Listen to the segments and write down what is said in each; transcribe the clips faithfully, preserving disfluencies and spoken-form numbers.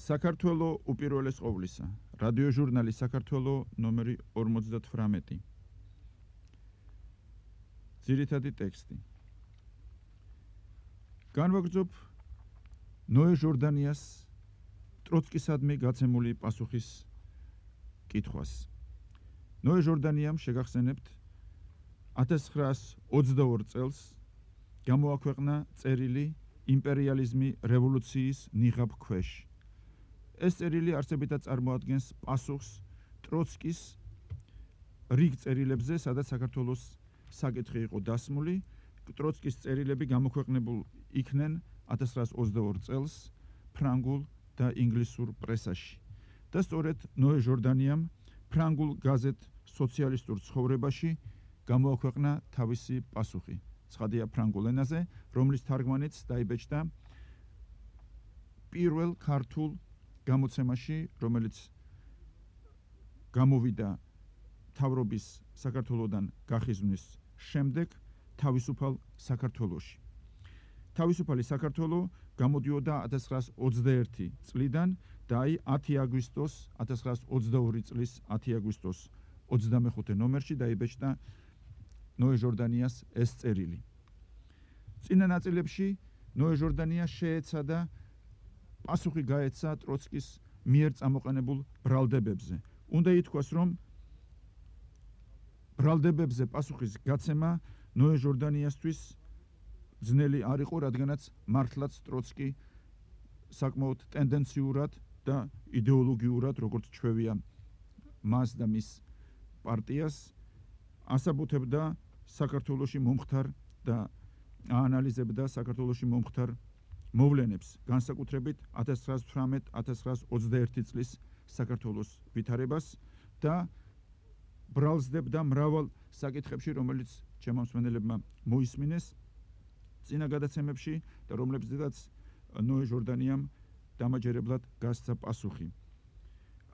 საქართველო უპირველეს ყოვლისა. რადიოჟურნალი საქართველო ნომერი ორმოცდათვრამეტი. ძირითადი ტექსტი. განვაგრძობ ნოე ჟორდანიას ტროცკისადმი გაცემული პასუხის კითხვას. ნოე ჟორდანიამ შეგახსენებთ ათას ცხრაას ოცდაორ წელს გამოაქვეყნა წერილი იმპერიალიზმი რევოლუციის ნიღაბ ქვეშ. ეს წერილი არსებითად წარმოადგენს პასუხს ტროცკის რიგ წერილებზე, სადაც საქართველოს საკითხი იყო დასმული. ტროცკის წერილები გამოქვეყნებულ იქნენ ათას ცხრაას ოცდაორ წელს ფრანგულ და ინგლისურ პრესაში. და სწორედ ნოე ჟორდანიამ ფრანგულ გაზეთ სოციალისტურ ცხოვრებაში გამოაქვეყნა თავისი პასუხი. ცხადია ფრანგულ ენაზე, რომლის თარგმანიც დაიბეჭდა პირველ ქართულ გამოცემაში, რომელიც გამოვიდა მთავრობის საქართველოდან გახიზვნის შემდეგ თავისუფალ საქართველოში. თავისუფალი საქართველო გამოდიოდა ათას ცხრაას ოცდაერთი წლიდან და აი ათი აგვისტოს ათას ცხრაას ოცდაორი წლის ათი აგვისტოს ოცდამეხუთე ნომერში დაიბეჭდა ნოე ჟორდანიას ეს წერილი. წინა ნაწილებში ნოე ჟორდანია შეეცადა პასუხი გაეცა ტროცკის მიერ წამოყენებულ ბრალდებებზე. უნდა ითქვას, რომ ბრალდებებზე პასუხის გაცემა ნოე ჟორდანიასთვის ძნელი არ იყო, რადგანაც მართლაც ტროცკი საკმაოდ ტენდენციურად და იდეოლოგიურად, როგორც ჩვევია მას და მის პარტიას, ასაბუთებდა საქართველოში მომხდარ და აანალიზებდა საქართველოში მომხდარ მოვლენებს, განსაკუთრებით ათას ცხრაას თვრამეტ ათას ცხრაას ოცდაერთი წლის საქართველოს ვითარებას და ბრალსდებდა მრავალ საკითხებში, რომელიც ჩემო მსმენელებმა მოისმინეს წინა გადაცემებში და რომლებზედაც ნოე ჟორდანიამ დამაჯერებლად გასცა პასუხი.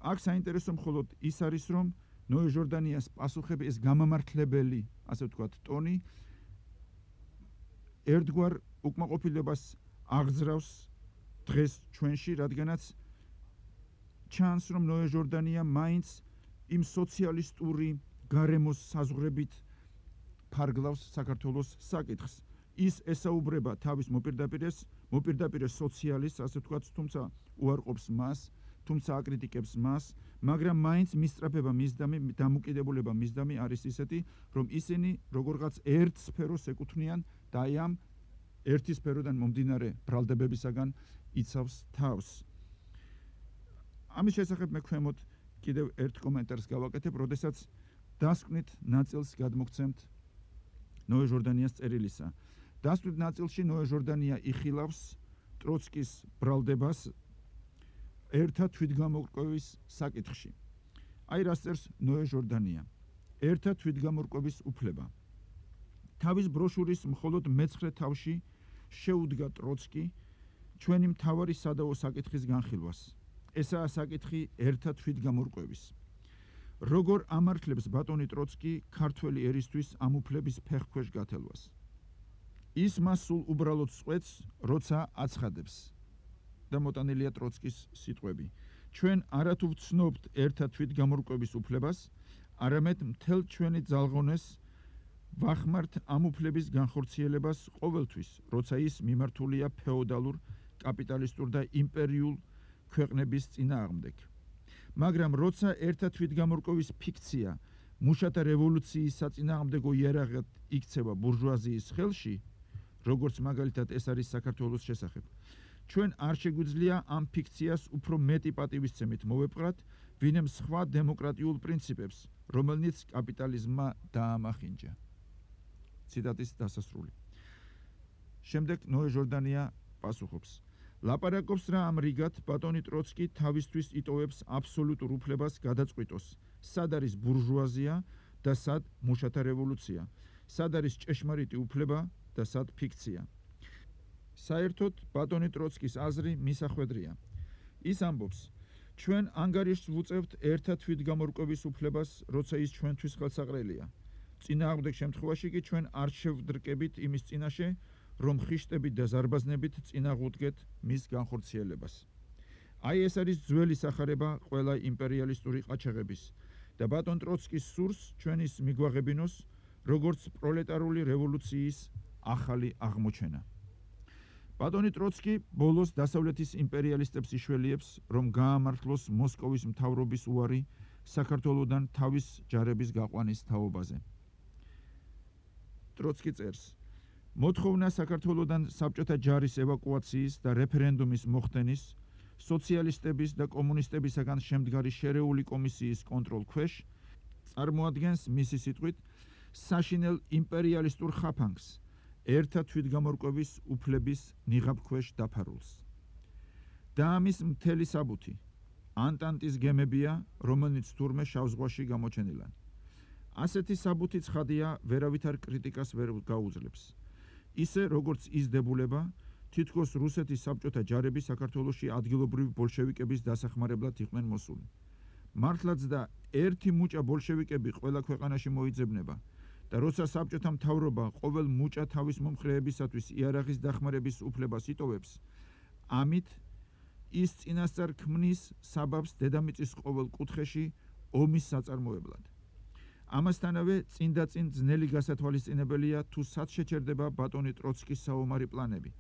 აქ საინტერესო მხოლოდ ის არის, რომ ნოე ჟორდანიას პასუხები, ეს გამამართლებელი, ასე ვთქვათ, ტონი ერთგვარ უკმაყოფილებას აღძრავს დღეს ჩვენში, რადგანაც ჩანს, რომ ნოე ჟორდანია მაინც იმ სოციალისტური გარემოს საზღვრებით ფარგლავს საქართველოს საკითხს. ის ესაუბრება თავის მოპირდაპირეს, მოპირდაპირეს სოციალისტს, ასე ვთქვათ, თუმცა უარყოფს მას, თუმცა აკრიტიკებს მას, მაგრამ მაინც მისწრაფება მისდამი, დამოკიდებულება მისდამი არის ისეთი, რომ ისინი როგორღაც ერთ სფეროს ეკუთვნიან და აი ამ ერთი სფეროდან მომდინარე ბრალდებებისაგან იცავს თავს. ამის შესახებ მე ქვემოთ კიდევ ერთ კომენტარს გავაკეთებ, როდესაც დასკვნით ნაწილს გადმოგცემთ ნოე ჟორდანიას წერილისა. დასკვნით ნაწილში ნოე ჟორდანია იხილავს ტროცკის ბრალდებას ერთა თვითგამორკვევის საკითხში. აი რას წერს ნოე ჟორდანია. ერთა თვითგამორკვევის უფლება. თავის ბროშურის მხოლოდ მეცხრე თავში შეუდგა ტროცკი ჩვენი მთავარი სადავო საკითხის განხილვას. ესაა საკითხი ერთა თვითგამორკვევის. როგორ ამართლებს ბატონი ტროცკი ქართველი ერისთვის ამ უფლების ფეხქვეშ გათელვას. ის მას სულ უბრალოდ წყვეტს, როცა აცხადებს. და მოტანილია ტროცკის სიტყვები. ჩვენ არათუ ვცნობთ ერთა თვითგამორკვევის უფლებას, არამედ მთელ ჩვენი ძალღონეს ვახმართ ამ უფლების განხორციელებას ყოველთვის, როცა ის მიმართულია ფეოდალურ, კაპიტალისტურ და იმპერიულ ქვეყნების წინააღმდეგ. მაგრამ როცა ერთა თვითგამორკვევის ფიქცია მუშათა რევოლუციის საწინააღმდეგო იარაღად იქცევა ბურჟუაზიის ხელში, როგორც მაგალითად ეს არის საქართველოს შესახებ, ჩვენ არ შეგვიძლია ამ ფიქციას უფრო მეტი პატივისცემით მოვეპყრათ, ვინმე სხვა დემოკრატიულ პრინციპებს, რომელნიც კაპიტალიზმმა დაამახინჯა. ციტატის დასასრული. შემდეგ ნოე ჟორდანია პასუხობს. ლაპარაკობს რა ამ რიგად ბატონი ტროცკი თავისთვის იტოვებს აბსოლუტურ უფლებას გადაწყვიტოს, სად არის ბურჟუაზია და სად მუშათა რევოლუცია, სად არის ჭეშმარიტი უფლება და სად ფიქცია. საერთოდ ბატონი ტროცკის აზრი მისახვედრია. ის ამბობს, ჩვენ ანგარიშს ვუწევთ ერთა თვითგამორკვევის უფლებას, როცა ის ჩვენთვის ხელსაყრელია. წინააღმდეგ შემთხვევაში კი ჩვენ არ შევდრკებით იმის წინაშე, რომ ხიშტებით და ზარბაზნებით წინაღუდგეთ მის განხორციელებას. აი ეს არის ძველი სახარება ყველა იმპერიალისტური ყაჩაღების და ბატონ ტროცკის სურს ჩვენის მიგვაღებინოს როგორც პროლეტარული რევოლუციის ახალი აღმოჩენა. ბატონი ტროცკი ბოლოს დასავლეთის იმპერიალისტებს იშველიებს, რომ გაამართლოს მოსკოვის მთავრობის უარი საქართველოდან თავის ჯარების გაყვანის თაობაზე. ტროცკი წერს: მოთხოვნა საქართველოდან საბჭოთა ჯარის ევაკუაციის და რეფერენდუმის მოხდენის სოციალისტების და კომუნისტებისაგან შემდგარი შერეული კომისიის კონტროლქვეშ წარმოადგენს მისი სიტყვით საშინელ იმპერიალისტურ ხაფანგს ერთა თვითგამორკვევის უფლების ნიღაბქვეშ დაფარულს. და ამის მთელი საბუთი ანტანტის გემებია, რომელიც თურმე შავ ზღვაში გამოჩენილან. ასეთი საბუთი ცხადია, ვერავითარ კრიტიკას ვერ გაუძლებს. ისე როგორც ის დებულება, თითქოს რუსეთის საბჭოთა ჯარები საქართველოში ადგილობრივი ბოლშევიკების დასახმარებლად იყვნენ მოსული. მართლაც და ერთი მუჭა ბოლშევიკები ყველა ქვეყანაში მოიძებნება და როცა საბჭოთა მთავრობა ყოველ მუჭა თავის მომხრეებისათვის იარაღის დახმარების უფლებას იტოვებს, ამით ის წინასწარ ქმნის საბაბს დედამიწის ყოველ კუთხეში ომის საწარმოებლად. ამასთანავე წინ და წინ ძნელი გასათვალისწინებელია თუ სად შეჩერდება ბატონი ტროცკის საომარი პლანები,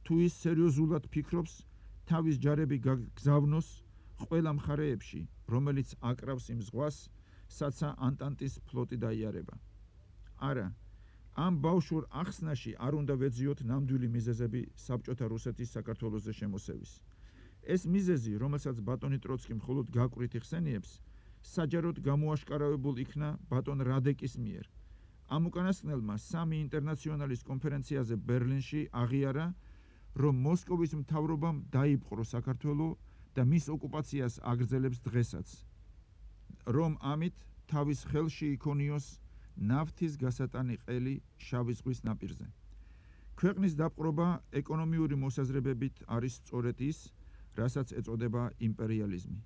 თუ ის სერიოზულად ფიქრობს თავის ჯარები გაგზავნოს ყველა მხარეებში, რომელიც აკრავს იმ ზღვას, სადაც ანტანტის ფლოტი დაიარება. არა, ამ ბავშვურ ახსნაში არ უნდა ვეძიოთ ნამდვილი მიზეზები საბჭოთა რუსეთის საქართველოზე შემოსევის. ეს მიზეზი, რომელსაც ბატონი ტროცკი მხოლოდ გაკვრით იხსენიებს, საჯაროდ გამოაშკარავებულ იქნა ბატონ რადეკის მიერ. ამ უკანასკნელმა სამი ინტერნაციონალის კონფერენციაზე ბერლინში აღიარა, რომ მოსკოვის მთავრობამ დაიპყრო საქართველო და მის ოკუპაციას აგრძელებს დღესაც, რომ ამით თავის ხელში იქონიოს ნავთის გასატანი ყელი შავი ზღვის ნაპირზე. ქვეყნის დაპყრობა ეკონომიური მოსაზრებებით არის სწორედ ის, რასაც ეწოდება იმპერიალიზმი.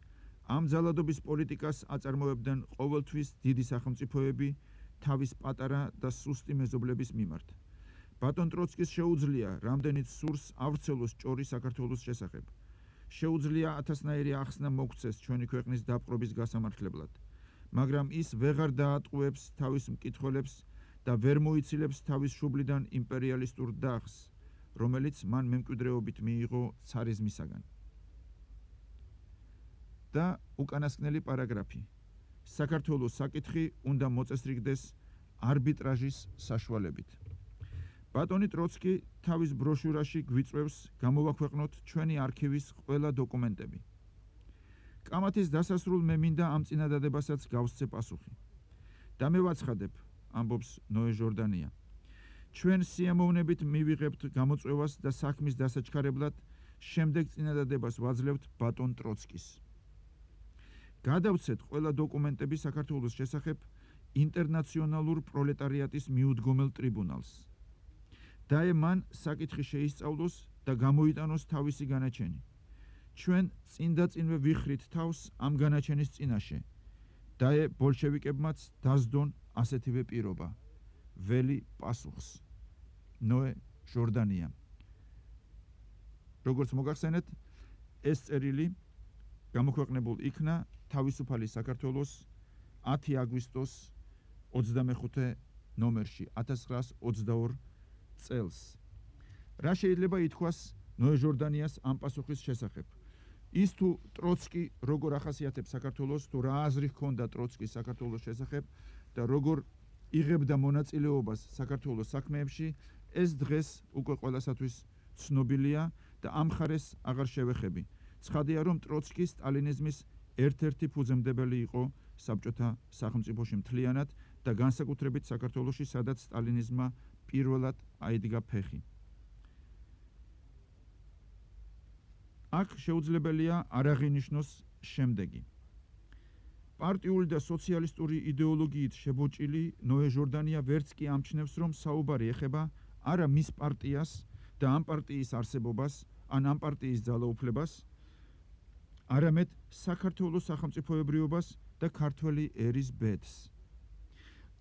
ამ ძალადობის პოლიტიკას აწარმოებდნენ ყოველთვის დიდი სახელმწიფოები თავის პატარა და სუსტი მეზობლების მიმართ. ბატონ ტროცკის შეუძლია რამდენიც სურს ავრცელოს ჭორი საქართველოს შესახებ. შეუძლია ათასნაირი ახსნა მოგცეს ჩვენი ქვეყნის დაპყრობის გასამართლებლად, მაგრამ ის ვეღარ დაატყუებს თავის მკითხველებს და ვერ მოიცილებს თავის შუბლიდან იმპერიალისტურ დახს, რომელიც მან მემკვიდრეობით მიიღო ცარიზმისაგან. და უკანასკნელი პარაგრაფი. საქართველოს საკითხი უნდა მოწესრიგდეს არბიტრაჟის საშუალებით. ბატონი ტროცკი თავის ბროშურაში გვიწვევს გამოვაქვეყნოთ ჩვენი არქივის ყველა დოკუმენტები. კამათის დასასრულ მე მინდა ამ წინადადებასაც გავსცე პასუხი. და მე ვაცხადებ, ამბობს ნოე ჟორდანია, ჩვენ სიამოვნებით მივიღებთ გამოწვევას და საქმის დასაჩქარებლად შემდეგ წინადადებას ვაძლევთ ბატონ ტროცკის. გადავცეთ ყველა დოკუმენტები საქართველოს შესახებ ინტერნაციონალურ პროლეტარიატის მიუდგომელ ტრიბუნალს. დაე მან საკითხი შეისწავლოს და გამოიტანოს თავისი განაჩენი. ჩვენ წინ და წინვე ვიხრით თავს ამ განაჩენის წინაშე. დაე ბოლშევიკებმაც დასდონ ასეთივე პირობა. ველი პასუხს. ნოე ჟორდანია. როგორც მოგახსენეთ, ეს წერილი გამოქვეყნებულ იქნა თავისუფალი საქართველოს ათი აგვისტოს ოცდამეხუთე ნომერში ათას ცხრაას ოცდაორ წელს. რა შეიძლება ითქვას ნოე ჟორდანიას ამ პასუხის შესახებ? ის თუ ტროცკი როგორ ახასიათებს საქართველოს, თუ რა აზრი ჰქონდა ტროცკის საქართველოს შესახებ და როგორ იღებდა მონაწილეობას საქართველოს საქმეებში, ეს დღეს უკვე ყველასათვის ცნობილია და ამ ხარეს აღარ შევეხები. ცხადია, რომ ტროცკი სტალინიზმის ერთ-ერთი ფუძემდებელი იყო საბჭოთა სახელმწიფოში მთლიანად და განსაკუთრებით საქართველოში, სადაც სტალინიზმმა პირველად აიდგა ფეხი. აქ შეუძლებელია არ აღინიშნოს შემდეგი. პარტიული და სოციალისტური იდეოლოგიით შებოჭილი ნოე ჟორდანია ვერც კი ამჩნევს, რომ საუბარი ეხება არა მის პარტიას და ამ პარტიის არსებობას, ან ამ პარტიის ძალაუფლებას, არამედ საქართველოს სახელმწიფოებრიობას და ქართველი ერის ბედს.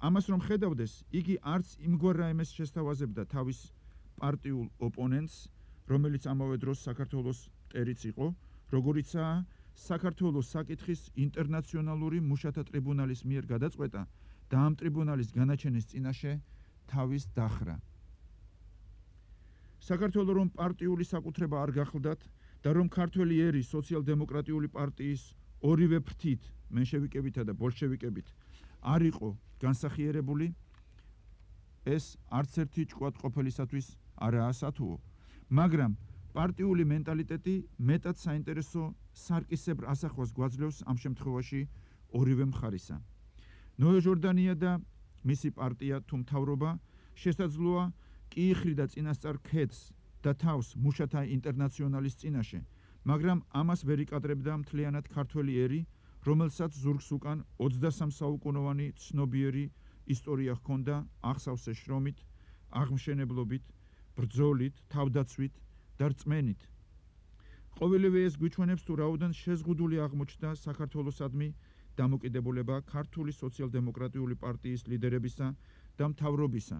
ამას რომ ხედავდეს, იგი არც იმგვარ რაიმეს შესთავაზებდა თავის პარტიულ ოპონენტს, რომელიც ამავე დროს საქართველოს მტერიც იყო, როგორიცაა საქართველოს საკითხის ინტერნაციონალური მუშათა ტრიბუნალის მიერ გადაწყვეტა და ამ ტრიბუნალის განაჩენის წინაშე თავის დახრა. საქართველოს რომ პარტიული საკუთრება არ გახლდათ და რომ ქართველი ერის სოციალ-დემოკრატიული პარტიის ორივე ფრთით, მენშევიკებითა და ბოლშევიკებით არ იყო განსახიერებული, ეს არც ერთი ჭკვად ყოფილისათვის არაა სათუო, მაგრამ პარტიული მენტალიტეტი მეტად საინტერესო სარკისებრ ასახვას გვაძლევს ამ შემთხვევაში ორივე მხარისა. ნოე ჟორდანია და მისი პარტია თუ მთავრობა შესაძლოა კი იხრიდა წინასწარ ქედს და თავს მუშათა ინტერნაციონალის წინაშე, მაგრამ ამას ვერ იკადრებდა მთლიანად ქართველი ერი, რომელსაც ზურგს უკან ოცდასამ საუკუნოვანი ცნობიერი ისტორია ჰქონდა აღსავსე შრომით, აღმშენებლობით, ბრძოლით, თავდაცვით და რწმენით. ყოველივე ეს გვიჩვენებს თუ რაოდენ შეზღუდული აღმოჩნდა საქართველოსადმი დამოკიდებულება ქართული სოციალ-დემოკრატიული პარტიის ლიდერებისა და მთავრობისა,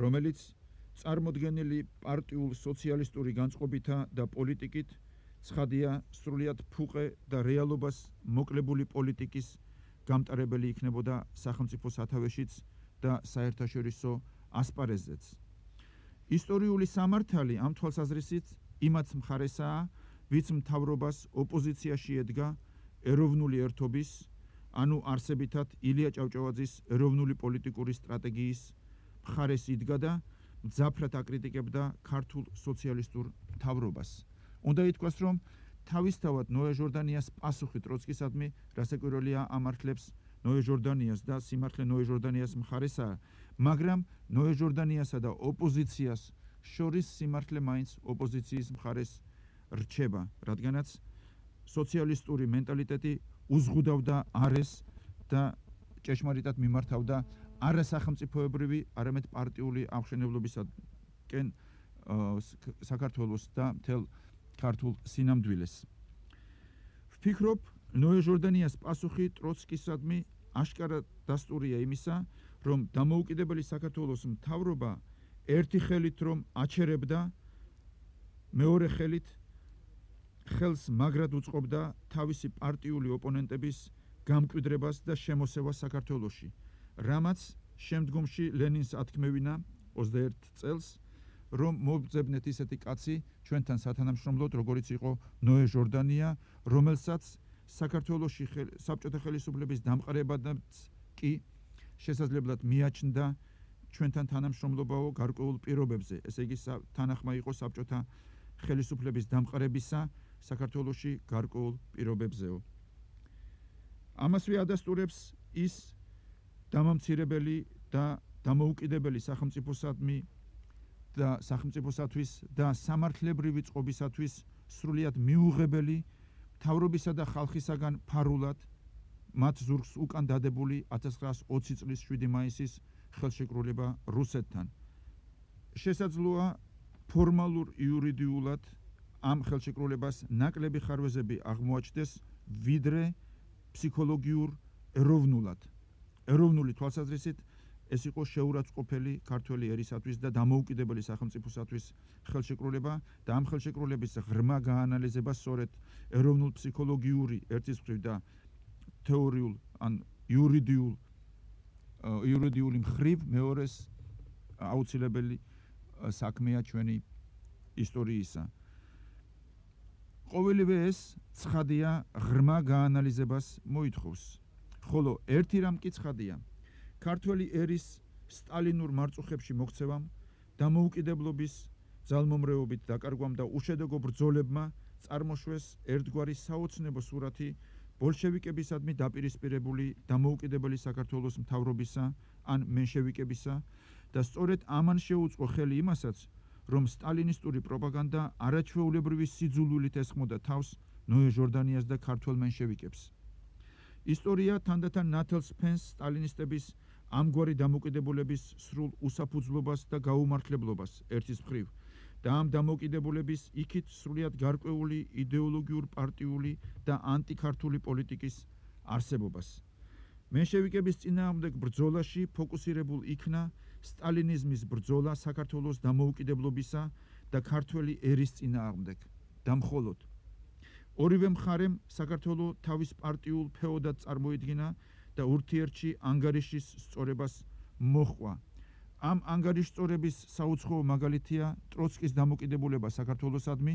რომელიც წარმოდგენილი პარტიულ სოციალისტური განწყობითა და პოლიტიკით ცხადია სრულიად ფუყე და რეალობას მოკლებული პოლიტიკის გამტარებელი იქნებოდა სახელმწიფო სათავეშიც და საერთაშორისო ასპარეზზეც. ისტორიული სამართალი ამ თვალსაზრისით იმაც მხარესაა, ვიც მთავრობას ოპოზიციაში ედგა ეროვნული ერთობის, ანუ არსებითად ილია ჭავჭავაძის ეროვნული პოლიტიკური სტრატეგიის მხარეს იდგა და მძაფრად აკრიტიკებდა ქართულ სოციალისტურ მთავრობას. უნდა ითქვას, რომ თავისთავად ნოე ჟორდანიას პასუხი ტროცკისადმი რასაკვირველია ამართლებს ნოე ჟორდანიას და სიმართლე ნოე ჟორდანიას მხარესაა, მაგრამ ნოე ჟორდანიასა და ოპოზიციას შორის სიმართლე მაინც ოპოზიციის მხარეს რჩება, რადგანაც სოციალისტური მენტალიტეტი უზღუდავდა არეს და ჭეშმარიტად მიმართავდა არა სახელმწიფოებრივი, არამედ პარტიული აღმშენებლობისაკენ საქართველოს და მთელ ქართულ სინამდვილეს. ვფიქრობ, ნოე ჟორდანიას პასუხი ტროცკისადმი აშკარად დასტურია იმისა, რომ დამოუკიდებელი საქართველოს მთავრობა ერთი ხელით რომ აჩერებდა, მეორე ხელით ხელს მაგრად უწყობდა თავისი პარტიული ოპონენტების გამკვიდრებას და შემოსევას საქართველოში, რამაც შემდგომში ლენინს ათქმევინა ოცდაერთ წელს, რომ მოვძებნეთ ისეთი კაცი ჩვენთან სათანამშრომლოდ, როგორიც იყო ნოე ჟორდანია, რომელსაც საქართველოში საბჭოთა ხელისუფლების დამყარებადაც კი შესაძლებლად მიაჩნდა ჩვენთან თანამშრომლობაო გარკვეულ პირობებზე, ესე იგი თანახმა იყო საბჭოთა ხელისუფლების დამყარებისა საქართველოში გარკვეულ პირობებზეო. ამასვე ადასტურებს ის დამამცირებელი და დამოუკიდებელი სახელმწიფოსადმი და სახელმწიფოსათვის და სამართლებრივი წყობისათვის სრულიად მიუღებელი მთავრობისა და ხალხისაგან ფარულად მათ ზურგს უკან დადებული ათას ცხრაასი ოცი წლის შვიდი მაისის ხელშეკრულება რუსეთთან. შესაძლოა ფორმალურ იურიდიულად ამ ხელშეკრულებას ნაკლები ხარვეზები აღმოაჩნდეს, ვიდრე ფსიქოლოგიურ ეროვნულად. ეროვნული თვალსაზრისით ეს იყო შეურაცხყოფელი ქართველი ერისათვის და დამოუკიდებელი სახელმწიფოსათვის ხელშეკრულება და ამ ხელშეკრულების ღრმა გაანალიზება სწორედ ეროვნულ ფსიქოლოგიური ერთის მხრივ და თეორიულ ან იურიდიულ იურიდიული მხრივ მეორეს აუცილებელი საქმეა ჩვენი ისტორიისა. ყოველივე ეს ცხადია ღრმა გაანალიზებას მოითხოვს, ხოლო ერთი რამ კი ცხადია, ქართველი ერის სტალინურ მარწუხებში მოქცევამ, დამოუკიდებლობის ძალმომრეობით დაკარგვამ და უშედეგო ბრძოლებმა წარმოშვეს ერთგვარი საოცნებო სურათი ბოლშევიკებისადმი დაპირისპირებული დამოუკიდებელი საქართველოს მთავრობისა ან მენშევიკებისა და სწორედ ამან შეუწყო ხელი იმასაც, რომ სტალინისტური პროპაგანდა არაჩვეულებრივი სიძულვილით ესხმოდა თავს ნოე ჟორდანიას და ქართველ მენშევიკებს. ისტორია თანდათან ნათელს ფენს სტალინისტების ამგვარი დამოკიდებულების სრულ უსაფუძვლობას და გაუმართლებლობას ერთის მხრივ და ამ დამოკიდებულების იქით სრულიად გარკვეული იდეოლოგიურ პარტიული და ანტიქართული პოლიტიკის არსებობას. მენშევიკების წინააღმდეგ ბრძოლაში ფოკუსირებულ იქნა სტალინიზმის ბრძოლა საქართველოს დამოუკიდებლობისა და ქართველი ერის წინააღმდეგ და მხოლოდ ორივე მხარემ საქართველოს თავის პარტიულ ფეოდად წარმოიდგინა და ურთიერთში ანგარიშის სწორებას მოჰყვა. ამ ანგარიშწორების საუცხოო მაგალითია ტროცკის დამოკიდებულება საქართველოსადმი,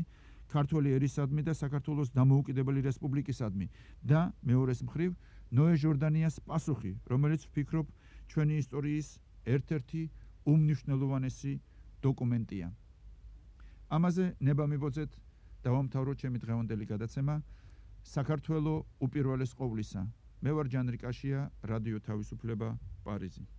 ქართველი ერისადმი და საქართველოს დამოუკიდებელი რესპუბლიკისადმი და მეორეს მხრივ ნოე ჟორდანიას პასუხი, რომელიც ვფიქრობ ჩვენი ისტორიის ერთ-ერთი უმნიშვნელოვანესი დოკუმენტია. ამაზე ნება მიბოძეთ დავამთავროთ ჩემი დღევანდელი გადაცემა საქართველოს უპირველეს ყოვლისა. მე ვარ ჯანრი კაშია, რადიო თავისუფლება, პარიზი.